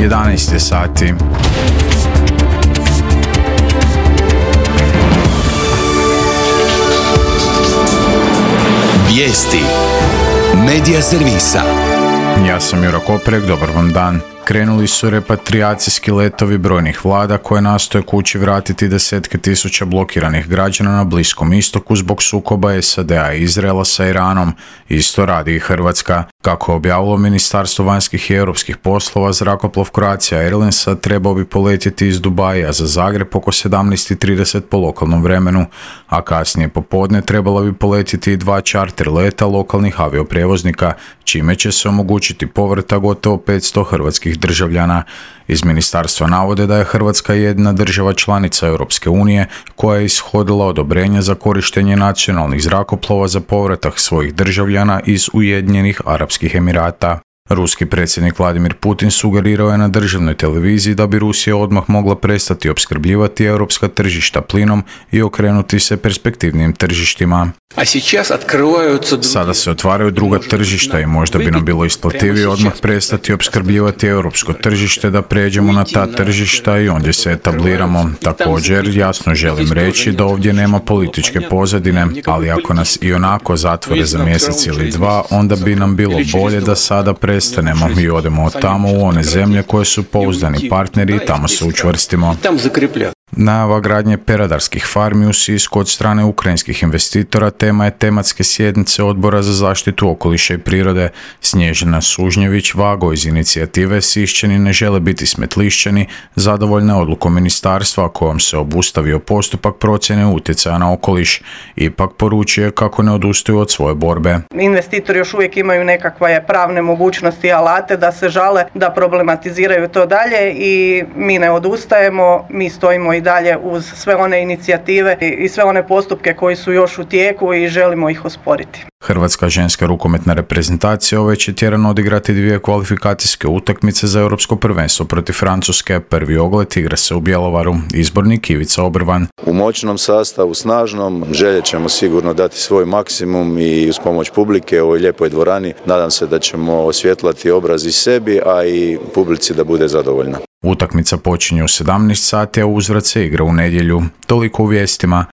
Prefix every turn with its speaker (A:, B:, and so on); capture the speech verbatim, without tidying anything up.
A: jedanaest je sati.
B: Vijesti Medija servisa.
A: Ja sam Juro Koprek, dobar vam dan. Krenuli su repatrijacijski letovi brojnih vlada koje nastoje kući vratiti desetke tisuća blokiranih građana na Bliskom istoku zbog sukoba S A D-a i Izraela sa Iranom. Isto radi i Hrvatska. Kako je objavilo Ministarstvo vanjskih i europskih poslova, zrakoplov Croatia Airlinesa trebao bi poletjeti iz Dubaja za Zagreb oko sedamnaest i trideset po lokalnom vremenu, a kasnije popodne trebala bi poletjeti i dva čarter leta lokalnih avioprijevoznika, čime će se omogućiti povrata gotovo petsto hrvatskih državljana. Iz ministarstva navode da je Hrvatska jedna država članica Europske unije koja je ishodila odobrenje za korištenje nacionalnih zrakoplova za povratak svojih državljana iz Ujedinjenih Arapskih Emirata. Ruski predsjednik Vladimir Putin sugerirao je na državnoj televiziji da bi Rusija odmah mogla prestati opskrbljivati europska tržišta plinom i okrenuti se perspektivnim tržištima. Sada se otvaraju druga tržišta i možda bi nam bilo isplativije odmah prestati opskrbljivati europsko tržište, da pređemo na ta tržišta i ondje se etabliramo. Također, jasno želim reći da ovdje nema političke pozadine, ali ako nas i onako zatvore za mjesec ili dva, onda bi nam bilo bolje da sada prestanemo i odemo od tamo u one zemlje koje su pouzdani partneri i tamo se učvrstimo. Najava gradnje peradarskih farmi u Sisku od strane ukrajinskih investitora tema je tematske sjednice Odbora za zaštitu okoliša i prirode. Snježana Sužnjević-Vago iz inicijative Sišćani ne žele biti smetlišćani zadovoljna odlukom ministarstva kojom se obustavio postupak procjene utjecaja na okoliš. Ipak poručuje kako ne odustaju od svoje borbe.
C: Investitori još uvijek imaju nekakve pravne mogućnosti i alate da se žale, da problematiziraju to dalje i mi ne odustajemo, mi stojimo i dalje uz sve one inicijative i sve one postupke koji su još u tijeku i želimo ih osporiti.
A: Hrvatska ženska rukometna reprezentacija ove će tjedan odigrati dvije kvalifikacijske utakmice za europsko prvenstvo protiv Francuske. Prvi ogled igra se u Bjelovaru. Izbornik Ivica Obrvan.
D: U moćnom sastavu, snažnom, željet ćemo sigurno dati svoj maksimum i uz pomoć publike u ovoj lijepoj dvorani. Nadam se da ćemo osvjetlati obraz i sebi, a i publici da bude zadovoljna.
A: Utakmica počinje u sedamnaest sati, a uzvrat se igra u nedjelju. Toliko u vijestima.